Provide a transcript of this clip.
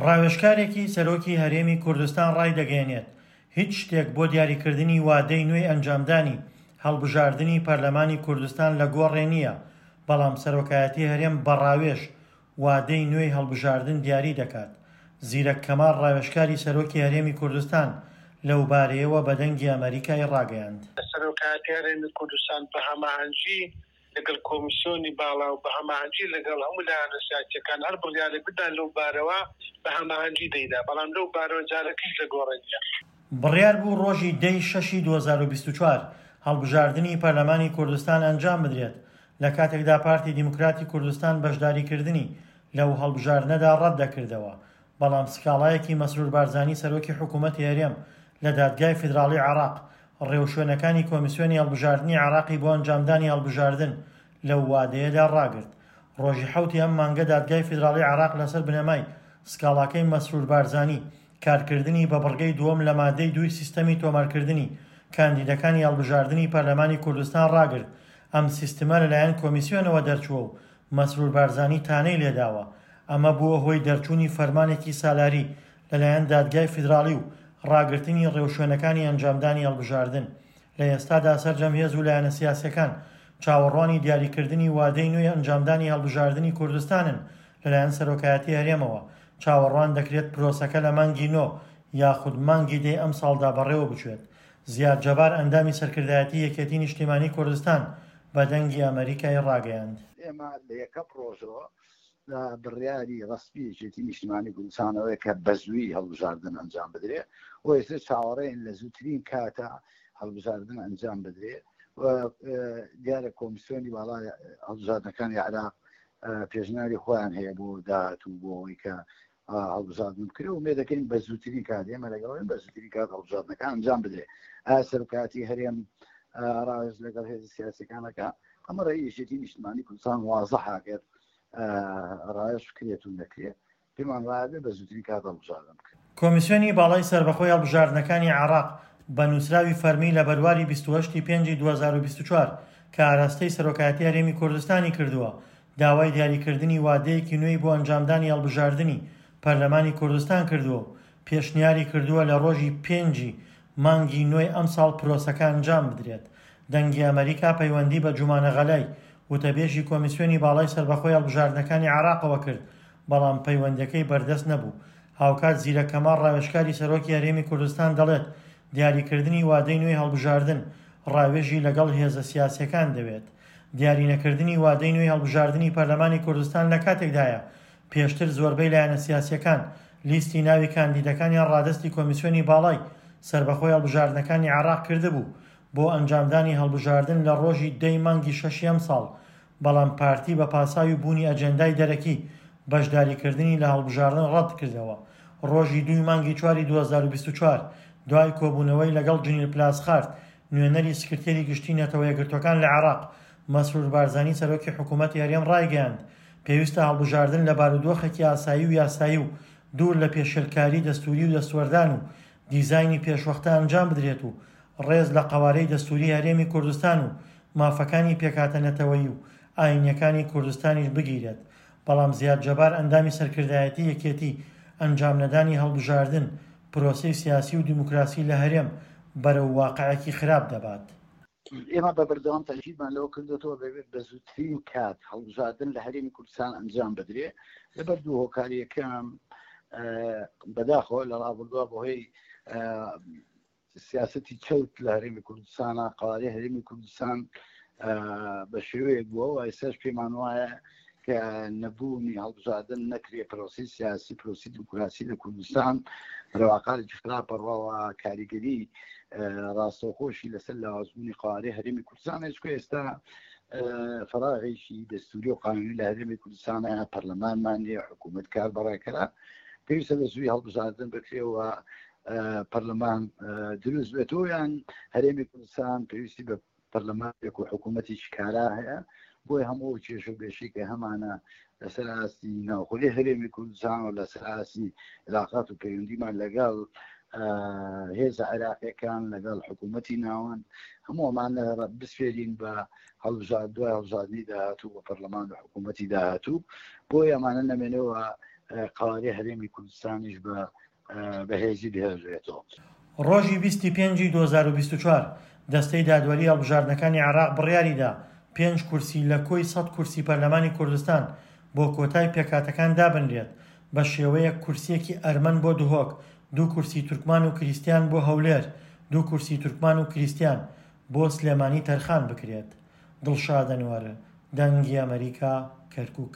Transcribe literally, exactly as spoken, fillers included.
ڕاوێژکارێکی سەرۆکی هەرێمی کوردستان ڕایدەگەیەنێت، هیچ شتێک بۆ دیاریکردنی وادەی نوێی ئەنجامدانی هەڵبژاردنی پەرلەمانی کوردستان لە گۆڕێ نییە، بەڵام سەرۆکایەتی هەرێم بە ڕاوێژ وادەی نوێی هەڵبژاردن دیاری دەکات. زیرەک کەمال ڕاوێژکاری سەرۆکی هەرێمی کوردستان لەوبارەیەوە بە دەنگی ئەمەریکای ڕاگەیاند. سەرۆکایەتی هەرێمی کوردستان بە هەماهەنگی لەگەڵ کۆمیسیۆنی باڵا و بە هەماهەنگی لەگەڵ هەموو لایەنە سیاسییەکان هەر بڕیارێک بدات لەو بارەوە بە هەماهەنگی دەیدا، بەڵام لەو بارەوە جارێکیش لە گۆڕێ نییە. بڕیار بوو ڕۆژی دە ی شەشی دوو هەزار و بیست و چوار هەڵبژاردنی پەرلەمانی کوردستان ئەنجام بدرێت، لە کاتێکدا پارتی دیموکراتی کوردستان بەشداریکردنی لەو هەڵبژاردنەدا ڕەت دەکردەوە، بەڵام سکاڵایەکی مەسرور بارزانی سەرۆکی حکوومەتی هەرێم لە دادگای فیدراڵی عێراق ڕێوشوێنەکانی کۆمیسیۆنی هەڵبژاردنی عێراقی بۆ ئەنجامدانی هەڵبژاردن لەو وادەیەدا ڕاگرت. ڕۆژی حەوتی ئەم مانگە دادگای فیدراڵی عێراق لەسەر بنەمای سکاڵاکەی مەسرور بارزانی کارکردنی بە بڕگەی دووەم لە مادەی دووی سیستەمی تۆمارکردنی کاندیدەکانی هەڵبژاردنی پەرلەمانی کوردستان ڕاگرت. ئەم سیستمە لەلایەن کۆمیسیۆنەوە دەرچووە و مەسرور بارزانی تانەی لێداوە. ئەمە بووە هۆی دەرچوونی فەرمانێکی سالاری لەلایەن دادگای فیدراڵی و ڕاگرتنی ڕێوشوێنەکانی ئەنجامدانی هەڵبژاردن. لە ئێستادا سەرجەم هێز و لایەنە سیاسیەکان چاوەڕوانی دیاریکردنی وادەی نوێی ئەنجامدانی هەڵبژاردنی کوردستانن لەلایەن سەرۆکایەتی هەرێمەوە. چاوەڕوان دەکرێت پرۆسەکە لە مانگی نۆ یاخود مانگی دەی ئەمساڵدا بەڕێوە بچێت. زیاد جەبار ئەندامی سەرکردایەتی یەکێتی نیشتیمانی کوردستان بە دەنگی ئەمەریکای ڕاگەیاند. ئێمە لە یەکەم ڕۆژەوە لە بڕیاری ڕەسمی یەکێتی نیشتیمانی کوردستانەوەی کە بەزووی هەڵبژاردن ئەنجام بدرێ و ئێستا چاوەڕێن لە زووترین کاتە هەڵبژاردن ئەنجام بدرێ و دیارە کۆمیسیۆنی باڵای هەڵبژاردنەکانی عێراق پێشنیاری خۆیان هەیە بۆ داهاتوو بۆ ئەوەی کە هەڵبژاردن بکرێ و ئومێد دەکەین بە زووترین کات ئێمە لەگەڵین بە زووترین کات هەڵبژاردنەکان ئەنجام بدرێ. ئایا سەرۆکایەتی هەرێم ڕاوێژ لەگەڵ هێزە سیاسیەکانەکە؟ ئەمە ڕێی یەکێتی نیشتمانی کوردستان وازحە ئەگەر ڕاوێژ بکرێت و نەکرێت پێمان وایە بێ بە زووترین کات هەڵبژاردن بکرێت. کۆمیسیۆنی باڵای سەربەخۆی هەڵبژاردنەکانی عێراق بە نووسراوی فەرمی لە بەرواری بیست و هەشت پێنج دوو هەزار و بیست و چوار کە ئاراستەی سەرۆکایەتی هەرێمی کوردستانی کردووە، داوای دیاریکردنی وادەیەکی نوێی بۆ ئەنجامدانی هەڵبژاردنی پەرلەمانی کوردستان کردووە و پێشنیاری کردووە لە ڕۆژی پێنجی مانگی نوێی ئەمساڵ پرۆسەکە ئەنجام بدرێت. دەنگی ئەمەریکا پەیوەندی بە جومانە غەلای وتەبێژی کۆمیسیۆنی باڵای سەربەخۆی هەڵبژاردنەکانی عێراقەوە کرد، بەڵام پەیوەندەکەی بەردەست نەبوو. هاوکات زیرەک کەمال ڕاوێژکاری سەرۆکی هەرێمی کوردستان دەڵێت دیاریکردنی وادەی نوێی هەڵبژاردن ڕاوێژی لەگەڵ هێزە سیاسیەکان دەوێت. دیارینەکردنی وادەی نوێی هەڵبژاردنی پەرلەمانی کوردستان لە کاتێکدایە پێشتر زۆربەی لایەنە سیاسیەکان لیستی ناوی کاندیدەکانیان ڕادەستی کۆمیسیۆنی باڵای سەربەخۆی هەڵبژاردنەکانی عێراق کردبوو بۆ ئەنجامدانی هەڵبژاردن لە ڕۆژی دەی مانگی شەشی ئەمساڵ، بەڵام پارتی بە پاساوی بوونی ئەجێندای دەرەکی بەشداریکردنی لە هەڵبژاردن ڕەت کردەوە. ڕۆژی دووی مانگی چواری دوو هەزار و بیست و چوار دوای کۆبوونەوەی لەگەڵ جنیل پلاسخارت نوێنەری سکرتێری گشتی نەتەوە یەکگرتووەکان لە عێراق، مەسرور بارزانی سەرۆکی حکوومەتی هەرێم ڕایگەیاند پێویستە هەڵبژاردن لە بارودۆخێکی ئاسایی و یاسایی و دوور لە پێشێلکاری دەستوری و دەستوەردان و دیزاینی پێشوەختە ئەنجام بدرێت و ڕێز لە قەوارەی دەستوری هەرێمی کوردستان و مافەکانی پێکهاتە نەتەوەیی و ئاینیەکانی کوردستانیش بگیرێت. بەڵام زیاد جەبار ئەندامی سەرکردایەتی یەکێتی ئەنجام نەدانی هەڵبژاردن پرۆسەی سیاسی و دیموکراسی لە هەرێم بەرەو واقعێکی خراپ دەبات. ئێمە بە بەردەوام تەئکیدمان لەوە کردوێتەوە بەبێت بە زووترین کات هەڵبژاردن لە هەرێمی کوردستان ئەنجام بدرێ لەبەر دوو هۆکاری. یەکەم بەداخەوە لە ڕابردووە بەهۆی سیاسەتی چەوت لە هەرێمی کوردستانە قوارەی هەرێمی کوردستان بە شێوەیەک بووە و ئێستاش پێمان وایە کە نەبوونی هەڵبژاردن نەکرێ پرۆسی سیاسی پرۆسی دیموکراسی لە کوردستان ڕەواقارێکی خراپ بڕواوە کاریگەری ڕاستەوخۆشی لەسەر لاوازبوونی قوارەی هەرێمی کوردستان. چکە ئێستا فراغێکی دەستوری و قانونی لە هەرێمی کوردستانە، پەرلەمانمان نییە، حکوومەت کار بەڕێکرا، پێویستە بە زووی هەڵبژاردن بکرێەوە پەرلەمان دروست بێتەوە، یان هەرێمی کوردستان پێویستی بە پەرلەمانێک و حکوومەتێکی کارا هەیە بۆی هەموو کێشە و بێشی کە هەمانە لەسەر ئاستی ناوخۆی هەرێمی کوردستان و لەسەر ئاستی علاقات و پەیوەندیمان لەگەڵ هێزە عێراقیەکان لەگەڵ حکوومەتی ناوەند هەموو ئەمانە بسپێرین بە هەڵبژارد دوای هەڵبژاردنی داهاتوو بە پەرلەمان و حکوومەتی داهاتوو، بۆی ئەمانە نەمێنەوە قەوارەی هەرێمی کوردستانیش بە بەهێزی بهێڵرێتەوە. ڕۆژی بیست ی پێنجی دوو هەزار و بیست و چوار، دەستەی دادوەری هەڵبژاردنەکانی عێراق بڕیاریدا پێنج کورسی لە کۆی سەد کورسی پەرلەمانی کوردستان بۆ کۆتای پێکهاتەکان دابنرێت، بە شێوەیەک کورسییەکی ئەرمەن بۆ دهۆک، دوو کورسی تورکمان و کریستیان بۆ هەولێر، دوو کورسی تورکمان و کریستیان بۆ سلێمانی تەرخان بکرێت. دڵشاد ئەنوەر، دەنگی ئەمەریکا، کەرکوک.